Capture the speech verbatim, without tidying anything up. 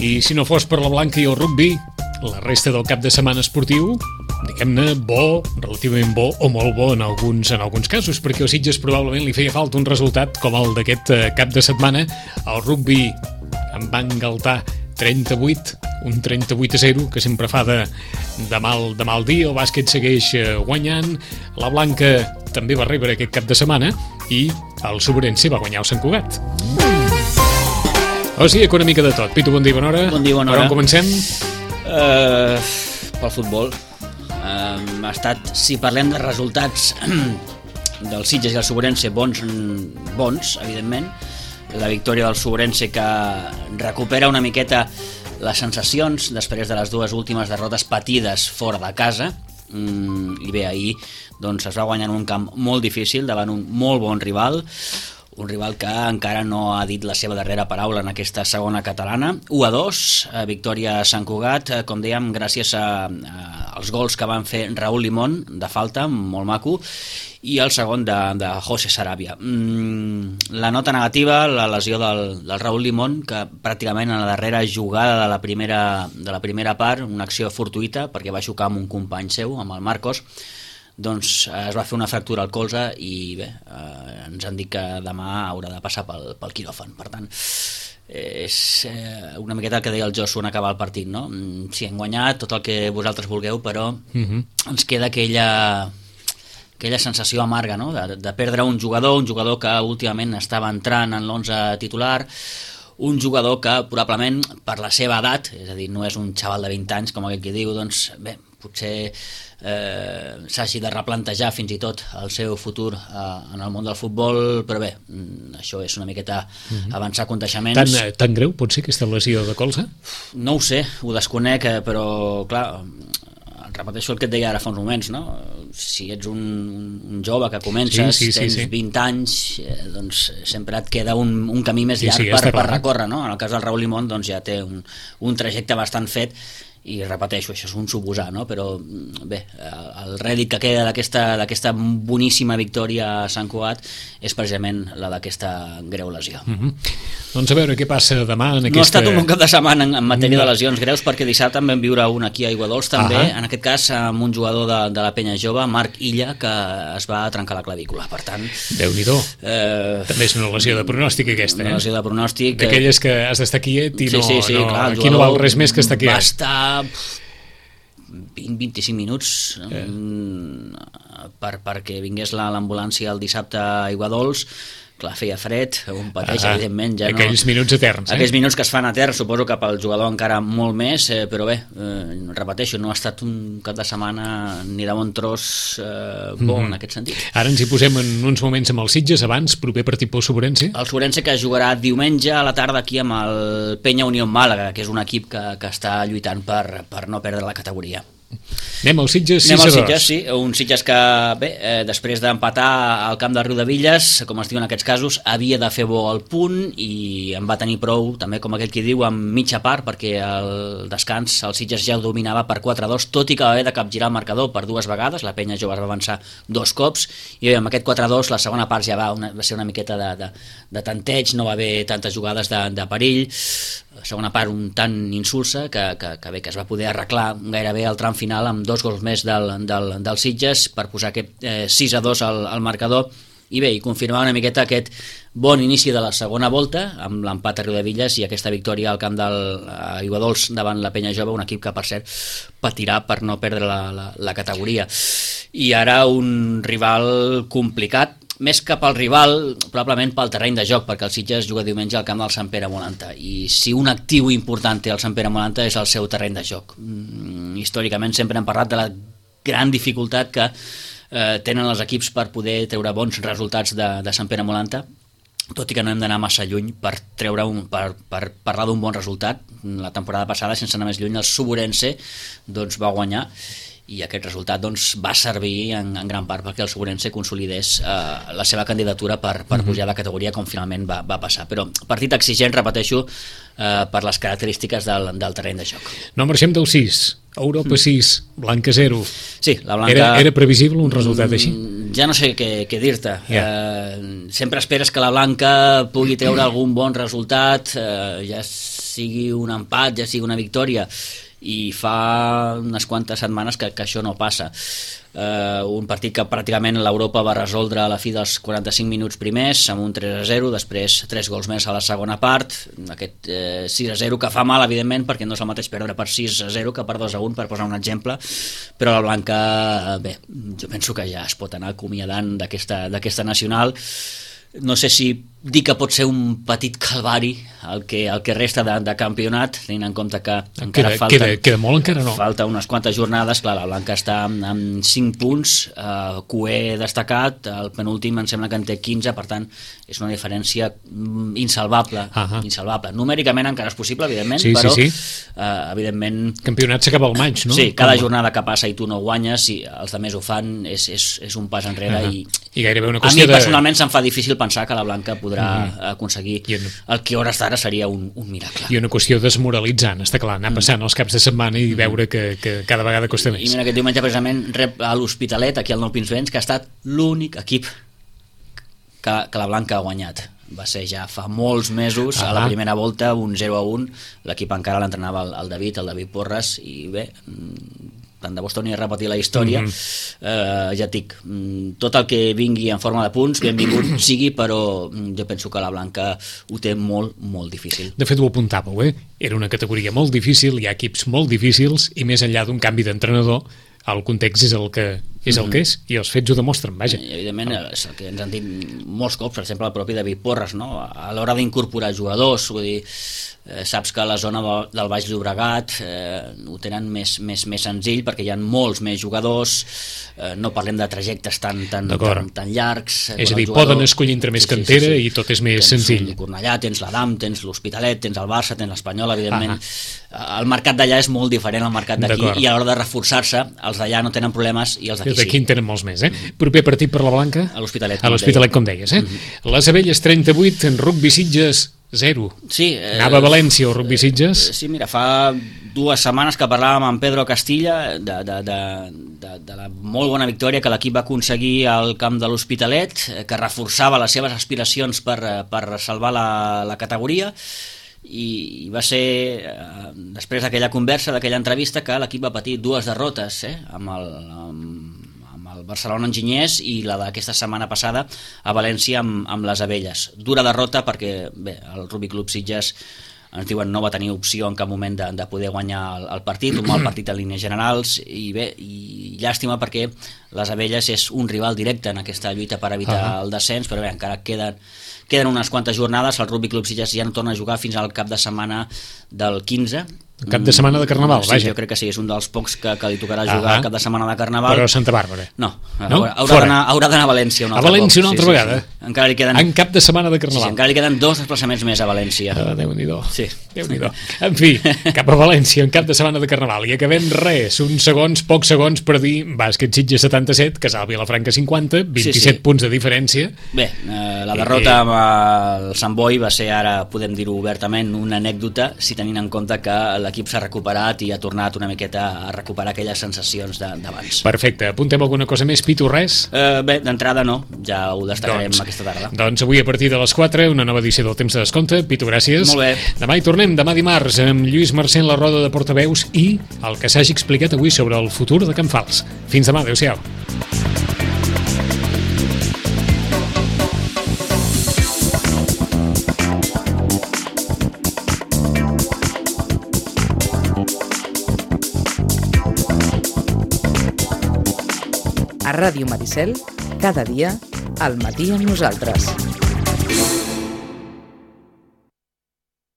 I si no fos per la Blanca i el rugbi, la resta del cap de setmana esportiu, diguem-ne, bo, relativament bo o molt bo en alguns, en alguns casos, perquè als Sitges probablement li feia falta un resultat com el d'aquest cap de setmana. El rugbi en va engaltar trenta-vuit, un trenta-vuit a zero, que sempre fa de, de, mal, de mal dia. El bàsquet segueix guanyant, la Blanca també va rebre aquest cap de setmana i el Sobrense va guanyar el Sant Cugat. O sigui, que una mica de tot. Pitu, bon dia, bona hora. Bon dia, bona hora. Per on comencem? Uh, pel futbol. Uh, ha estat, si parlem de resultats del Sitges i el Sobrense, bons, bons, evidentment. La victòria del Sobrense, que recupera una miqueta les sensacions després de les dues últimes derrotes patides fora de casa. Mm, i bé, ahir doncs, es va guanyar en un camp molt difícil davant un molt bon rival, un rival que encara no ha dit la seva darrera paraula en aquesta segona catalana. u a dos, victòria a Sant Cugat, com dèiem, gràcies a, a, als gols que van fer Raúl Limón de falta, molt maco, i el segon de, de José Sarabia. Mm, la nota negativa, la lesió del, del Raúl Limón, que pràcticament en la darrera jugada de la primera, de la primera part, una acció fortuïta, perquè va xocar amb un company seu, amb el Marcos, doncs es va fer una fractura al colze i bé, eh, ens han dit que demà haurà de passar pel, pel quiròfan. Per tant, és eh, una miqueta el que deia el Josu en acabar el partit, no? Sí, hem guanyat tot el que vosaltres vulgueu, però uh-huh. ens queda aquella, aquella sensació amarga, no? de, de perdre un jugador, un jugador que últimament estava entrant en l'onze titular, un jugador que probablement per la seva edat, és a dir, no és un xaval de vint anys com aquell que diu, doncs bé, potser eh, s'hagi de replantejar fins i tot el seu futur eh, en el món del futbol, però bé, això és una miqueta uh-huh. avançar contaixements. Tan, tan greu pot ser aquesta lesió de colze? No ho sé, ho desconec, però clar, repeteixo el que et deia ara fa uns moments, no? Si ets un, un jove que comences, sí, sí, tens sí, sí. vint anys, eh, doncs sempre et queda un, un camí més llarg sí, sí, per, per recórrer, no? En el cas del Raúl Limón doncs ja té un, un trajecte bastant fet i repeteixo, això és un suposar, no? Però bé, el rèdit que queda d'aquesta d'aquesta boníssima victòria a Sant Cugat és precisament la d'aquesta greu lesió. Mm-hmm. Doncs a veure què passa demà en aquesta... No ha estat un bon cap de setmana en, en matèria no. de lesions greus, perquè dissabte en vam viure un aquí a Aiguadols també, uh-huh. en aquest cas amb un jugador de, de la penya jove, Marc Illa, que es va trencar la clavícula, per tant... Déu-n'hi-do. Eh... També és una lesió de pronòstic aquesta, eh? Una lesió de pronòstic... D'aquelles que has d'estar quiet i no, sí, sí, sí, no, clar, aquí no val res més que estar quiet. Va estar vint a vint-i-cinc minuts eh. per, perquè vingués l'ambulància el dissabte a Aiguadols. Clar, feia fred, un pateix, ah, evidentment. Ja aquells no... minuts eterns, eh? Aquells minuts que es fan eterns, suposo que pel jugador encara molt més, eh, però bé, eh, repeteixo, no ha estat un cap de setmana ni de bon tros eh, bo mm-hmm. en aquest sentit. Ara ens hi posem en uns moments amb els Sitges, abans, proper partit pel Sobrense. El Sobrense que jugarà diumenge a la tarda aquí amb el Penya Unió Màlaga, que és un equip que, que està lluitant per, per no perdre la categoria. Anem al Sitges sis a dos. Anem al Sitges, sí. Un Sitges que, bé, eh, després d'empatar al camp de Riudevilles, com es diu en aquests casos, havia de fer bo al punt i en va tenir prou, també com aquell qui diu, amb mitja part, perquè el descans el Sitges ja ho dominava per quatre a dos, tot i que va haver de capgirar el marcador per dues vegades, la penya jove es va avançar dos cops, i bé, amb aquest quatre a dos la segona part ja va, una, va ser una miqueta de, de, de tanteig, no va haver tantes jugades de, de perill, la segona part un tant insulsa que, que, que bé, que es va poder arreglar gairebé al tram final amb dos gols més del, del, del Sitges per posar aquest eh, sis a dos al, al marcador i bé, i confirmar una miqueta aquest bon inici de la segona volta amb l'empat a Riudevilles i aquesta victòria al camp del Aiguadols davant la penya jove, un equip que per cert patirà per no perdre la, la, la categoria. I ara un rival complicat, més que pel rival, probablement pel terreny de joc, perquè el Sitges juga diumenge al camp del Sant Pere Molanta, i si un actiu important té el Sant Pere Molanta és el seu terreny de joc. Mm, històricament sempre hem parlat de la gran dificultat que eh, tenen els equips per poder treure bons resultats de, de Sant Pere Molanta, tot i que no hem d'anar massa lluny per treure un, per, per parlar d'un bon resultat. La temporada passada, sense anar més lluny, el Sobrense doncs, va guanyar, i aquest resultat doncs, va servir en, en gran part perquè el Sobrense consolidés eh, la seva candidatura per, per pujar de categoria, com finalment va, va passar. Però partit exigent, repeteixo, eh, per les característiques del, del terreny de joc. No marxem del sis, Europa sis, Blanca zero. Sí, la Blanca... Era, era previsible un resultat així? Ja no sé què, què dir-te. Yeah. Eh, sempre esperes que la Blanca pugui treure algun bon resultat, eh, ja sigui un empat, ja sigui una victòria, i fa unes quantes setmanes que, que això no passa. Uh, un partit que pràcticament l'Europa va resoldre a la fi dels quaranta-cinc minuts primers amb un tres a zero, després tres gols més a la segona part, aquest eh, sis a zero que fa mal evidentment perquè no és el mateix perdre per sis a zero que per dos a un, per posar un exemple, però la Blanca, bé, jo penso que ja es pot anar acomiadant d'aquesta d'aquesta nacional. No sé si dir que pot ser un petit calvari el que, el que resta de, de campionat, tenint en compte que encara queda, falta, queda, queda molt, encara no. Falta unes quantes jornades. Clar, la Blanca està amb, amb cinc punts, eh, Cué destacat, el penúltim em sembla que en té quinze, per tant és una diferència insalvable. Uh-huh. Insalvable. Numèricament encara és possible, evidentment, sí, però sí, sí. Eh, evidentment... Campionat s'acaba al maig, no? Sí, cada Com... jornada que passa i tu no guanyes, si els altres ho fan, és, és, és un pas enrere. Uh-huh. i, I gairebé una a qüestió mi de... personalment se'm fa difícil pensar que la Blanca podrà uh-huh. aconseguir en... el que hores d'ara seria un, un miracle. I una qüestió desmoralitzant, està clar, anar passant els caps de setmana i veure que, que cada vegada costa més. I mira, aquest diumenge precisament rep a l'Hospitalet, aquí al Nou Pinsbens, que ha estat l'únic equip que, que la Blanca ha guanyat. Va ser ja fa molts mesos, ah, a la primera volta, un zero a un, l'equip encara l'entrenava el, el David, el David Porres, i bé, tant de bo es torni a repetir la història. Mm-hmm. eh, ja et dic, tot el que vingui en forma de punts, benvingut sigui, però jo penso que la Blanca ho té molt, molt difícil. De fet, ho apuntàveu, eh? Era una categoria molt difícil, hi ha equips molt difícils, i més enllà d'un canvi d'entrenador, el context és el que és el que és, i els fets ho demostren, vaja. I, evidentment, és el que ens han dit molts cops, per exemple, el propi David Porres, no? A l'hora d'incorporar jugadors, vull dir, eh, saps que a la zona del Baix Llobregat eh, ho tenen més, més, més senzill perquè hi ha molts més jugadors, eh, no parlem de trajectes tan, tan, tan, tan llargs. És a dir, poden escollir entre més sí, cantera sí, sí, sí. i tot és més tens senzill. Tens Cornellà, tens l'Adam, tens l'Hospitalet, tens el Barça, tens l'Espanyol, evidentment. Ah, el mercat d'allà és molt diferent al mercat d'aquí, i a l'hora de reforçar-se, els d'allà no tenen problemes i els d'aquí sí. Els d'aquí en tenen molts més, eh? Mm-hmm. Proper partit per la Blanca? A l'Hospitalet. A l'Hospitalet, com deies, eh? Mm-hmm. Les Abelles trenta-vuit, en rugby Sitges zero. Sí. Eh, Anava a València o rugby Sitges? Sí, mira, fa dues setmanes que parlàvem amb Pedro Castilla de, de, de, de, de la molt bona victòria que l'equip va aconseguir al camp de l'Hospitalet, que reforçava les seves aspiracions per, per salvar la, la categoria, i va ser eh, després d'aquella conversa, d'aquella entrevista, que l'equip va patir dues derrotes eh, amb el... amb, el Barcelona Enginyers i la d'aquesta setmana passada a València amb, amb les Abelles. Dura derrota perquè bé, el Rugby Club Sitges ens diuen no va tenir opció en cap moment de, de poder guanyar el, el partit, un mal partit en línies generals, i bé, i llàstima perquè les Abelles és un rival directe en aquesta lluita per evitar uh-huh. el descens, però bé, encara queden, queden unes quantes jornades, el Rugby Club Sitges ja no torna a jugar fins al cap de setmana del quinze. Cap de setmana de Carnaval, sí, vaja. Jo crec que sí, és un dels pocs que, que li tocarà jugar uh-huh. cap de setmana de Carnaval. Però a Santa Bàrbara. No, no? haurà d'anar haurà d'anar a València un altre a València cop. una altra sí, vegada? Sí, sí. Encara li queden... En cap de setmana de Carnaval. Sí, sí, encara li queden dos desplaçaments més a València. Ah, Déu-n'hi-do. Sí. Déu-n'hi-do. En fi, cap a València en cap de setmana de Carnaval. I acabem res, uns segons, pocs segons per dir Bàsquet Sitges setanta-set, Casal Vilafranca cinquanta, vint-i-set sí, sí. punts de diferència. Bé, eh, la derrota amb el Sant Boi va ser, ara podem dir-ho obertament, una anècdota, si tenint en compte que l'equip s'ha recuperat i ha tornat una miqueta a recuperar aquelles sensacions d'abans. Perfecte. Apuntem alguna cosa més, Pitu, res? Eh, bé, d'entrada no, ja ho destacarem doncs, aquesta tarda. Doncs avui a partir de les quatre, una nova edició del Temps de Descompte. Pitu, gràcies. Molt bé. Demà hi tornem, demà dimarts, amb Lluís Mercè en la roda de portaveus i el que s'hagi explicat avui sobre el futur de Can Fals. Fins demà, adéu-siau. A Ràdio Maricel, cada dia, al matí amb nosaltres.